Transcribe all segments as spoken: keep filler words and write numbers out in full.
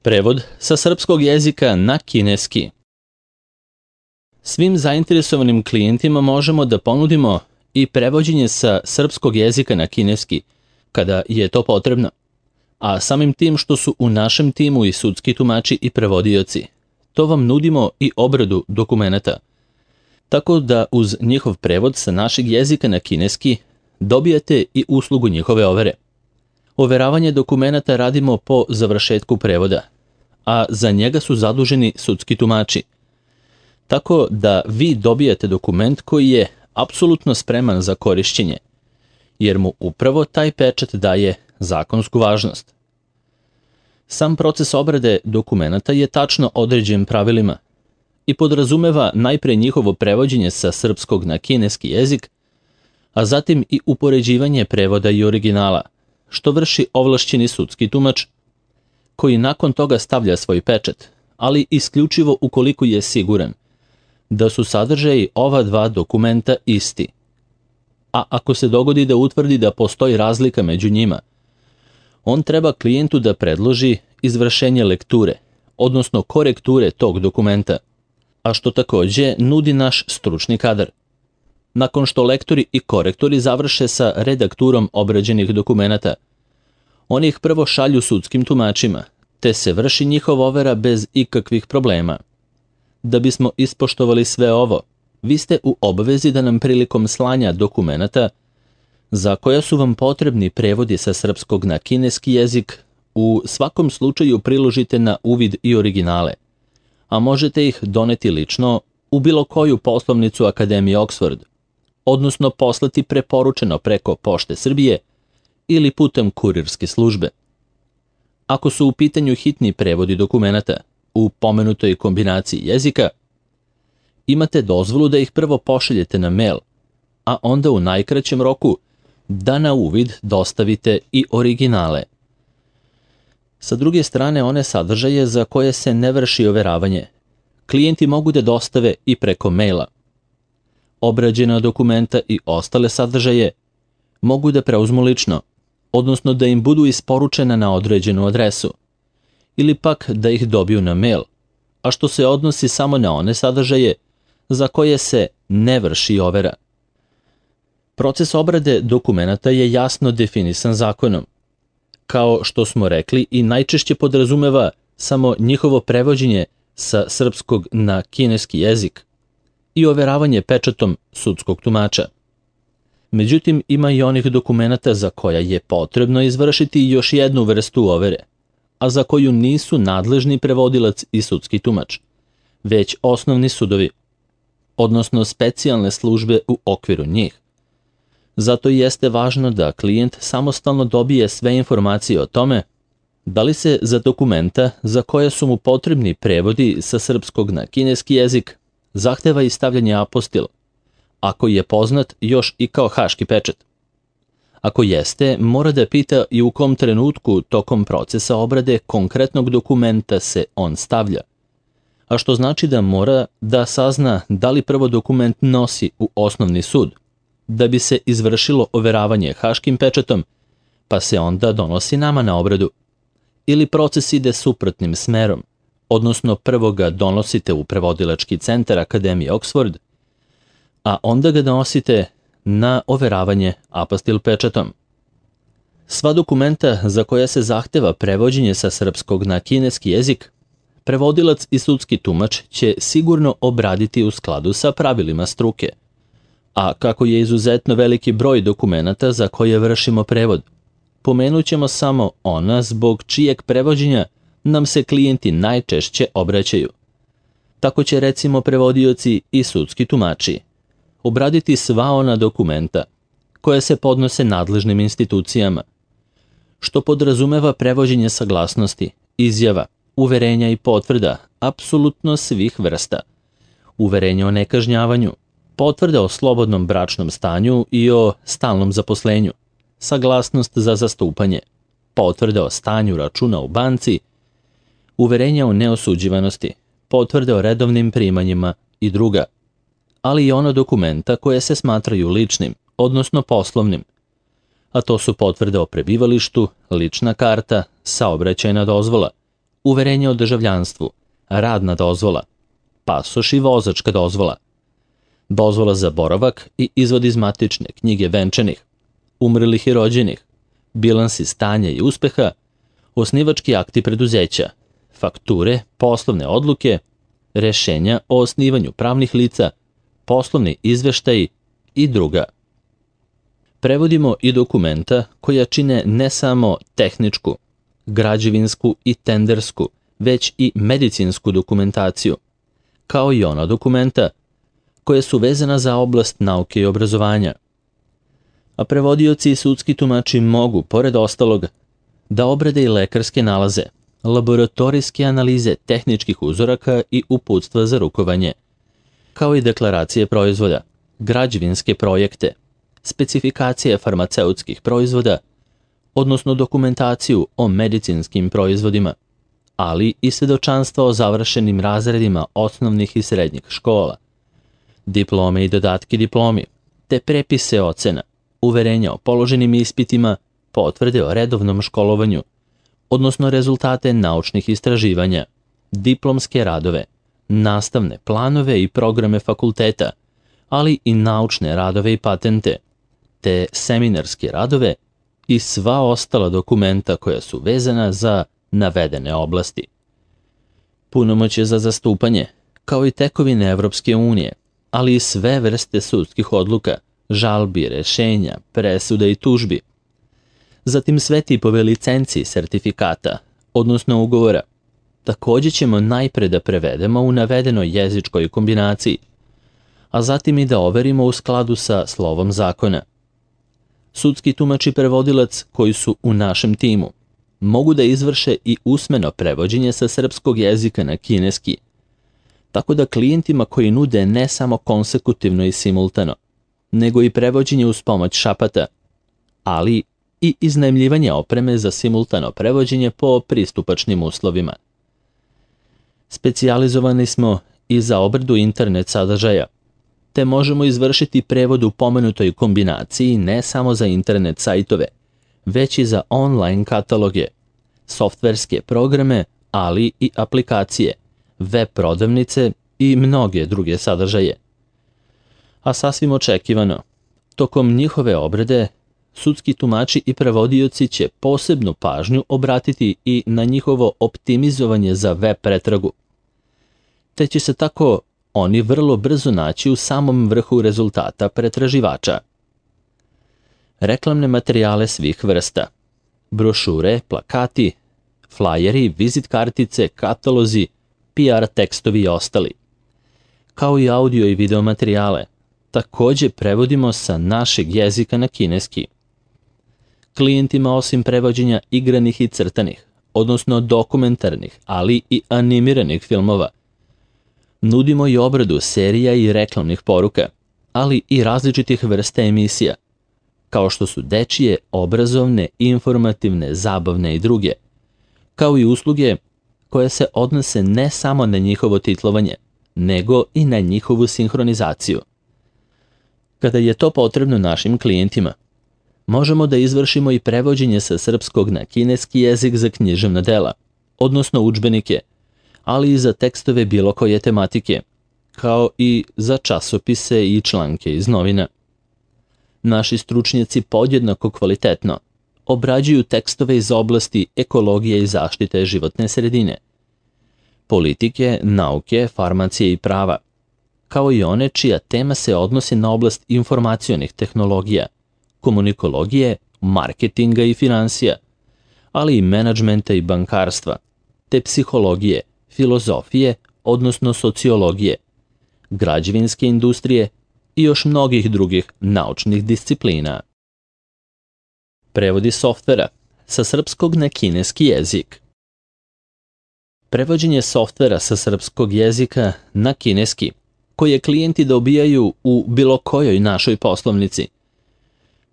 Prevod sa srpskog jezika na kineski. Svim zainteresovanim klijentima možemo da ponudimo i prevođenje sa srpskog jezika na kineski, kada je to potrebno. A samim tim što su u našem timu i sudski tumači i prevodioci, to vam nudimo i obradu dokumenata. Tako da uz njihov prevod sa našeg jezika na kineski dobijate i uslugu njihove overe. Overavanje dokumenata radimo po završetku prevoda, a za njega su zaduženi sudski tumači. Tako da vi dobijate dokument koji je apsolutno spreman za korišćenje, jer mu upravo taj pečat daje zakonsku važnost. Sam proces obrade dokumenata je tačno određen pravilima i podrazumeva najpre njihovo prevođenje sa srpskog na kineski jezik, a zatim i upoređivanje prevoda i originala, što vrši ovlašćeni sudski tumač, koji nakon toga stavlja svoj pečat, ali isključivo ukoliko je siguran da su sadržaji ova dva dokumenta isti. A ako se dogodi da utvrdi da postoji razlika među njima, on treba klijentu da predloži izvršenje lekture, odnosno korekture tog dokumenta, a što takođe nudi naš stručni kadar. Nakon što lektori i korektori završe sa redakturom obrađenih dokumenata, oni ih prvo šalju sudskim tumačima, te se vrši njihova overa bez ikakvih problema. Da bismo ispoštovali sve ovo, vi ste u obavezi da nam prilikom slanja dokumenata, za koja su vam potrebni prevodi sa srpskog na kineski jezik, u svakom slučaju priložite na uvid i originale, a možete ih doneti lično u bilo koju poslovnicu Akademije Oxford, odnosno poslati preporučeno preko Pošte Srbije ili putem kurirske službe. Ako su u pitanju hitni prevodi dokumenata u pomenutoj kombinaciji jezika, imate dozvolu da ih prvo pošaljete na mail, a onda u najkraćem roku da na uvid dostavite i originale. Sa druge strane, one sadržaje za koje se ne vrši overavanje, klijenti mogu da dostave i preko maila. Obrađena dokumenta i ostale sadržaje mogu da preuzmu lično, odnosno da im budu isporučena na određenu adresu, ili pak da ih dobiju na mail, a što se odnosi samo na one sadržaje za koje se ne vrši overa. Proces obrade dokumenata je jasno definisan zakonom. Kao što smo rekli, i najčešće podrazumeva samo njihovo prevođenje sa srpskog na kineski jezik i overavanje pečatom sudskog tumača. Međutim, ima i onih dokumenata za koja je potrebno izvršiti još jednu vrstu overe, a za koju nisu nadležni prevodilac i sudski tumač, već osnovni sudovi, odnosno specijalne službe u okviru njih. Zato jeste važno da klijent samostalno dobije sve informacije o tome da li se za dokumenta za koje su mu potrebni prevodi sa srpskog na kineski jezik zahteva i stavljanje apostil, ako je poznat još i kao haški pečat. Ako jeste, mora da pita i u kom trenutku tokom procesa obrade konkretnog dokumenta se on stavlja, a što znači da mora da sazna da li prvo dokument nosi u osnovni sud, da bi se izvršilo overavanje haškim pečatom, pa se onda donosi nama na obradu. Ili proces ide suprotnim smerom, odnosno prvo ga donosite u prevodilački centar Akademije Oxford, a onda ga donosite na overavanje apostil pečatom. Sva dokumenta za koja se zahteva prevođenje sa srpskog na kineski jezik, prevodilac i sudski tumač će sigurno obraditi u skladu sa pravilima struke. A kako je izuzetno veliki broj dokumenata za koje vršimo prevod, pomenut ćemo samo ona zbog čijeg prevođenja nam se klijenti najčešće obraćaju. Tako će recimo prevodioci i sudski tumači obraditi sva ona dokumenta koja se podnose nadležnim institucijama, što podrazumeva prevođenje saglasnosti, izjava, uverenja i potvrda apsolutno svih vrsta, uverenja o nekažnjavanju, potvrda o slobodnom bračnom stanju i o stalnom zaposlenju, saglasnost za zastupanje, potvrda o stanju računa u banci, uverenja o neosuđivanosti, potvrde o redovnim primanjima i druga, ali i ono dokumenta koje se smatraju ličnim, odnosno poslovnim, a to su potvrde o prebivalištu, lična karta, saobraćajna dozvola uverenje o državljanstvu, radna dozvola, pasoš i vozačka dozvola, dozvola za boravak i izvod iz matične knjige venčanih, umrlih i rođenih, bilansi stanja i uspeha, osnivački akti preduzeća, fakture, poslovne odluke, rešenja o osnivanju pravnih lica, poslovni izveštaji i druga. Prevodimo i dokumenta koja čine ne samo tehničku, građevinsku i tendersku, već i medicinsku dokumentaciju, kao i ona dokumenta koja su vezana za oblast nauke i obrazovanja. A prevodioci i sudski tumači mogu, pored ostalog, da obrade i lekarske nalaze, laboratorijske analize tehničkih uzoraka i uputstva za rukovanje, kao i deklaracije proizvoda, građevinske projekte, specifikacije farmaceutskih proizvoda, odnosno dokumentaciju o medicinskim proizvodima, ali i svedočanstva o završenim razredima osnovnih i srednjih škola, diplome i dodatki diplomi, te prepise ocena, uverenja o položenim ispitima, potvrde o redovnom školovanju, odnosno rezultate naučnih istraživanja, diplomske radove, nastavne planove i programe fakulteta, ali i naučne radove i patente, te seminarske radove i sva ostala dokumenta koja su vezana za navedene oblasti. Punomoćje za zastupanje, kao i tekovine Evropske unije, ali i sve vrste sudskih odluka, žalbi, rešenja, presuda i tužbi. Zatim sve tipove licenci i sertifikata, odnosno ugovora, takođe ćemo najpre da prevedemo u navedenoj jezičkoj kombinaciji, a zatim i da overimo u skladu sa slovom zakona. Sudski tumač i prevodilac koji su u našem timu mogu da izvrše i usmeno prevođenje sa srpskog jezika na kineski, tako da klijentima koji nude ne samo konsekutivno i simultano, nego i prevođenje uz pomoć šapata, ali i iznajmljivanje opreme za simultano prevođenje po pristupačnim uslovima. Specijalizovani smo i za obradu internet sadržaja, te možemo izvršiti prevod u pomenutoj kombinaciji ne samo za internet sajtove, već i za online kataloge, softverske programe, ali i aplikacije, web prodavnice i mnoge druge sadržaje. A sasvim očekivano, tokom njihove obrade, sudski tumači i prevodioci će posebnu pažnju obratiti i na njihovo optimizovanje za web pretragu, te će se tako oni vrlo brzo naći u samom vrhu rezultata pretraživača. Reklamne materijale svih vrsta, brošure, plakati, flajeri, vizit kartice, katalozi, P R tekstovi i ostali, kao i audio i video materijale, takođe prevodimo sa našeg jezika na kineski. Klijentima osim prevođenja igranih i crtanih, odnosno dokumentarnih, ali i animiranih filmova, nudimo i obradu serija i reklamnih poruka, ali i različitih vrsta emisija, kao što su dečije, obrazovne, informativne, zabavne i druge, kao i usluge koje se odnose ne samo na njihovo titlovanje, nego i na njihovu sinhronizaciju. Kada je to potrebno našim klijentima, možemo da izvršimo i prevođenje sa srpskog na kineski jezik za književna dela, odnosno udžbenike, ali i za tekstove bilo koje tematike, kao i za časopise i članke iz novina. Naši stručnjaci podjednako kvalitetno obrađuju tekstove iz oblasti ekologije i zaštite životne sredine, politike, nauke, farmacije i prava, kao i one čija tema se odnosi na oblast informacionih tehnologija, komunikologije, marketinga i finansija, ali i menadžmenta i bankarstva, te psihologije, filozofije, odnosno sociologije, građevinske industrije i još mnogih drugih naučnih disciplina. Prevodi softvera sa srpskog na kineski jezik. Prevođenje softvera sa srpskog jezika na kineski, koje klijenti dobijaju u bilo kojoj našoj poslovnici,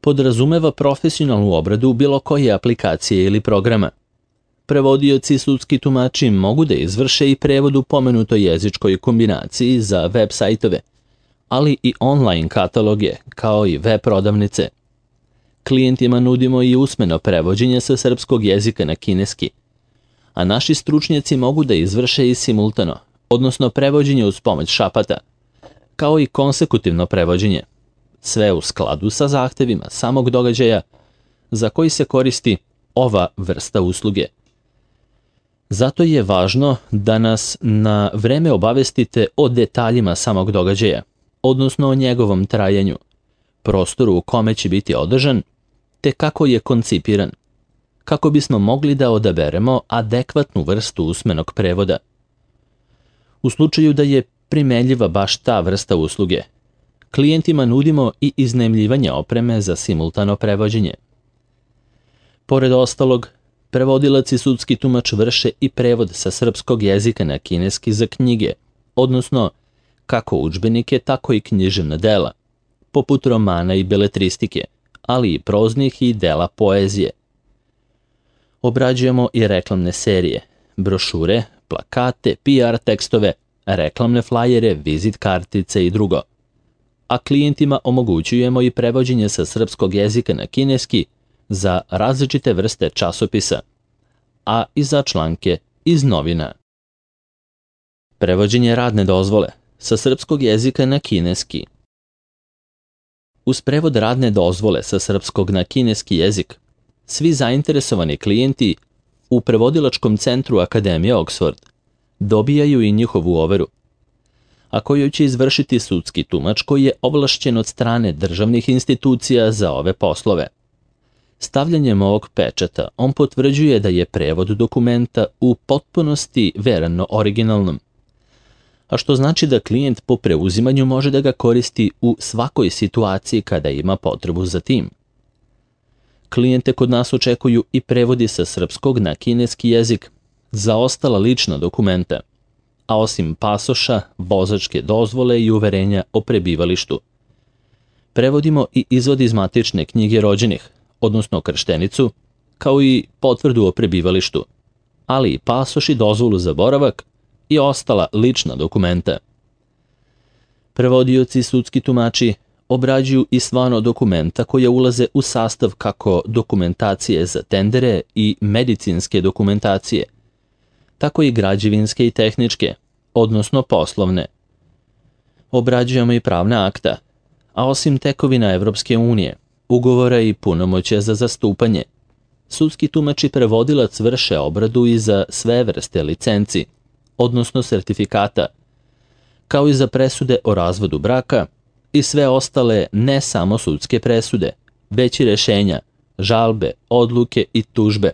podrazumeva profesionalnu obradu bilo koje aplikacije ili programa. Prevodioci i sudski tumači mogu da izvrše i prevod u pomenutoj jezičkoj kombinaciji za web sajtove, ali i online kataloge, kao i web prodavnice. Klijentima nudimo i usmeno prevođenje sa srpskog jezika na kineski, a naši stručnjaci mogu da izvrše i simultano, odnosno prevođenje uz pomoć šapata, kao i konsekutivno prevođenje, sve u skladu sa zahtevima samog događaja za koji se koristi ova vrsta usluge. Zato je važno da nas na vreme obavestite o detaljima samog događaja, odnosno o njegovom trajanju, prostoru u kome će biti održan, te kako je koncipiran, kako bismo mogli da odaberemo adekvatnu vrstu usmenog prevoda. U slučaju da je primenljiva baš ta vrsta usluge, klijentima nudimo i iznajmljivanje opreme za simultano prevođenje. Pored ostalog, prevodilac i sudski tumač vrše i prevod sa srpskog jezika na kineski za knjige, odnosno kako udžbenike, tako i književna dela, poput romana i beletristike, ali i proznih i dela poezije. Obrađujemo i reklamne serije, brošure, plakate, P R tekstove, reklamne flajere, vizit kartice i drugo. A klijentima omogućujemo i prevođenje sa srpskog jezika na kineski za različite vrste časopisa, a i za članke iz novina. Prevođenje radne dozvole sa srpskog jezika na kineski. Uz prevod radne dozvole sa srpskog na kineski jezik, svi zainteresovani klijenti u prevodilačkom centru Akademije Oxford dobijaju i njihovu overu, a koju će izvršiti sudski tumač koji je ovlašćen od strane državnih institucija za ove poslove. Stavljanjem ovog pečata on potvrđuje da je prevod dokumenta u potpunosti verano originalnom, a što znači da klijent po preuzimanju može da ga koristi u svakoj situaciji kada ima potrebu za tim. Klijente kod nas očekuju i prevodi sa srpskog na kineski jezik za ostala lična dokumenta, a osim pasoša, vozačke dozvole i uverenja o prebivalištu. Prevodimo i izvod iz matične knjige rođenih, odnosno krštenicu, kao i potvrdu o prebivalištu, ali i pasoš i dozvolu za boravak i ostala lična dokumenta. Prevodioci i sudski tumači obrađuju i stvarno dokumenta koje ulaze u sastav kako dokumentacije za tendere i medicinske dokumentacije, tako i građevinske i tehničke, odnosno poslovne. Obrađujemo i pravna akta, a osim tekovina Evropske unije, ugovora i punomoćja za zastupanje, sudski tumač i prevodilac vrše obradu i za sve vrste licenci, odnosno sertifikata, kao i za presude o razvodu braka i sve ostale ne samo sudske presude, već i rešenja, žalbe, odluke i tužbe.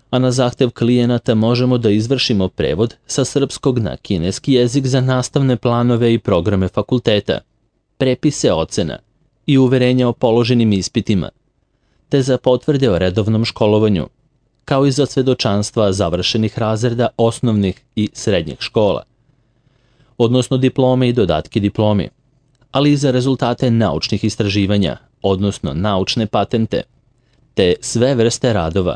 A na zahtev klijenata možemo da izvršimo prevod sa srpskog na kineski jezik za nastavne planove i programe fakulteta, prepise ocena i uverenja o položenim ispitima, te za potvrde o redovnom školovanju, kao i za svedočanstva završenih razreda osnovnih i srednjih škola, odnosno diplome i dodatke diplomi, ali i za rezultate naučnih istraživanja, odnosno naučne patente, te sve vrste radova,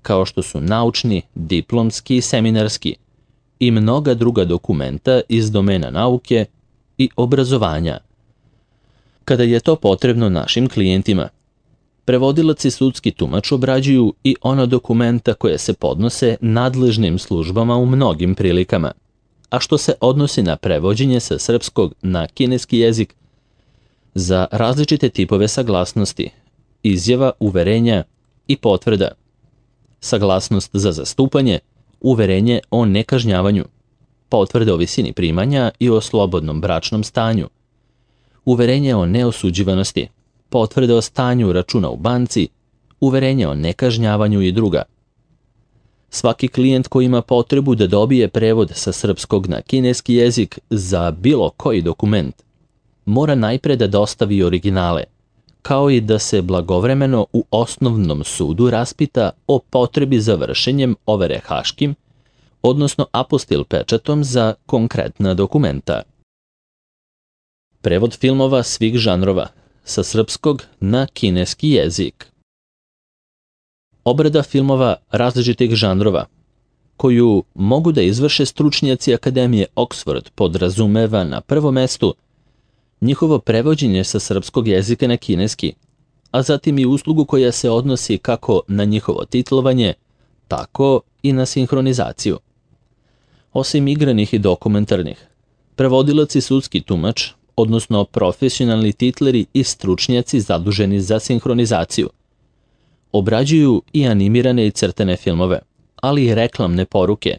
kao što su naučni, diplomski i seminarski, i mnoga druga dokumenta iz domena nauke i obrazovanja. Kada je to potrebno našim klijentima, prevodilac i sudski tumač obrađuju i ona dokumenta koje se podnose nadležnim službama u mnogim prilikama, a što se odnosi na prevođenje sa srpskog na kineski jezik za različite tipove saglasnosti, izjava, uverenja i potvrda, saglasnost za zastupanje, uverenje o nekažnjavanju, potvrde o visini primanja i o slobodnom bračnom stanju, uverenje o neosuđivanosti, potvrde o stanju računa u banci, uverenje o nekažnjavanju i druga. Svaki klijent koji ima potrebu da dobije prevod sa srpskog na kineski jezik za bilo koji dokument, mora najpre da dostavi originale, kao i da se blagovremeno u osnovnom sudu raspita o potrebi za vršenjem overe haškim, odnosno apostil pečatom za konkretna dokumenta. Prevod filmova svih žanrova sa srpskog na kineski jezik. Obrada filmova različitih žanrova, koju mogu da izvrše stručnjaci Akademije Oxford, podrazumeva na prvom mestu njihovo prevođenje sa srpskog jezika na kineski, a zatim i uslugu koja se odnosi kako na njihovo titlovanje, tako i na sinhronizaciju. Osim igranih i dokumentarnih, prevodilac i sudski tumač, odnosno profesionalni titleri i stručnjaci zaduženi za sinhronizaciju, obrađuju i animirane i crtene filmove, ali i reklamne poruke,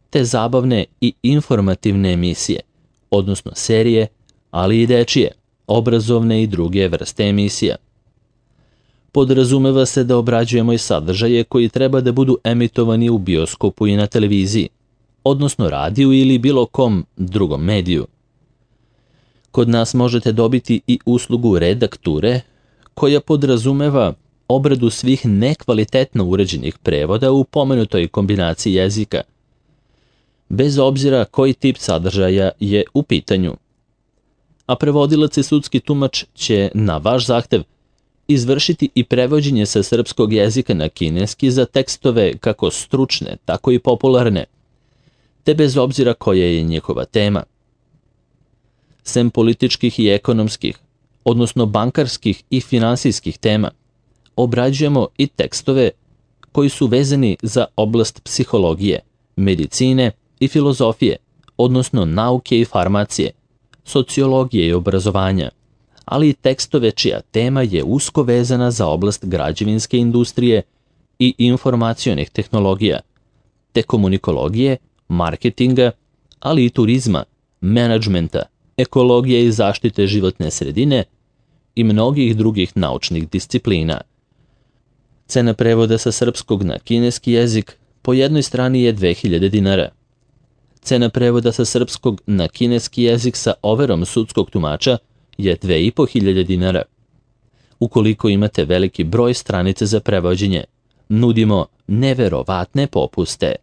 te zabavne i informativne emisije, odnosno serije, ali i dečije, obrazovne i druge vrste emisija. Podrazumeva se da obrađujemo i sadržaje koji treba da budu emitovani u bioskopu i na televiziji, odnosno radiju ili bilo kom drugom mediju. Kod nas možete dobiti i uslugu redakture, koja podrazumeva obradu svih nekvalitetno uređenih prevoda u pomenutoj kombinaciji jezika, bez obzira koji tip sadržaja je u pitanju. A prevodilac i sudski tumač će, na vaš zahtev, izvršiti i prevođenje sa srpskog jezika na kineski za tekstove kako stručne, tako i popularne, te bez obzira koja je njihova tema. Sem političkih i ekonomskih, odnosno bankarskih i finansijskih tema, obrađujemo i tekstove koji su vezani za oblast psihologije, medicine i filozofije, odnosno nauke i farmacije, sociologije i obrazovanja, ali i tekstove čija tema je usko vezana za oblast građevinske industrije i informacionih tehnologija, te komunikologije, marketinga, ali i turizma, menadžmenta, ekologije i zaštite životne sredine i mnogih drugih naučnih disciplina. Cena prevoda sa srpskog na kineski jezik po jednoj strani je dve hiljade dinara. Cena prevoda sa srpskog na kineski jezik sa overom sudskog tumača je dve i po hiljade dinara. Ukoliko imate veliki broj stranica za prevođenje, nudimo neverovatne popuste.